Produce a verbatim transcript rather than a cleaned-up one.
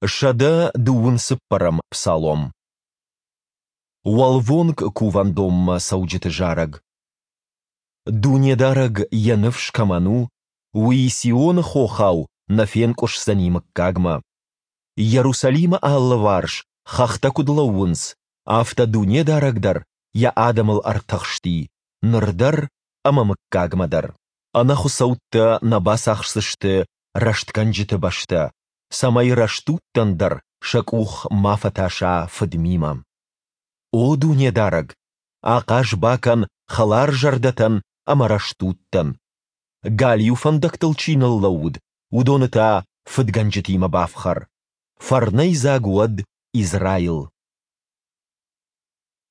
Сӕдӕ дыууын цыппӕрӕм псалом. Уӕлвонг кувӕндонмӕ цӕуджыты зарӕг. Дунедарӕг йӕ ныфс кӕмӕн у, уый Сионы хохау нӕ фенкъуысдзӕни мыггагмӕ. Йерусалимы алыварс хӕхтӕ куыд лӕууынц, афтӕ Дунедарӕг дӕр Йӕ адӕмыл ӕртыхсти, ныр дӕр ӕмӕ мыггагмӕ дӕр. Ӕнӕхуыцӕуттӕ нӕ бацахсдзысты рӕстгӕнджыты бӕстӕ, цӕмӕй рӕстудтӕн дӕр сӕ къух ма фӕтаса фыдмимӕ. О Дунедарӕг, ахъаз бакӕн хӕларзӕрдӕтӕн ӕмӕ рӕстудтӕн. Галиу фӕндӕгтыл чи ныллӕууыд, уыдоны та фыдгӕнджытимӕ бафхӕр. Фӕрнӕйдзаг уӕд Израил!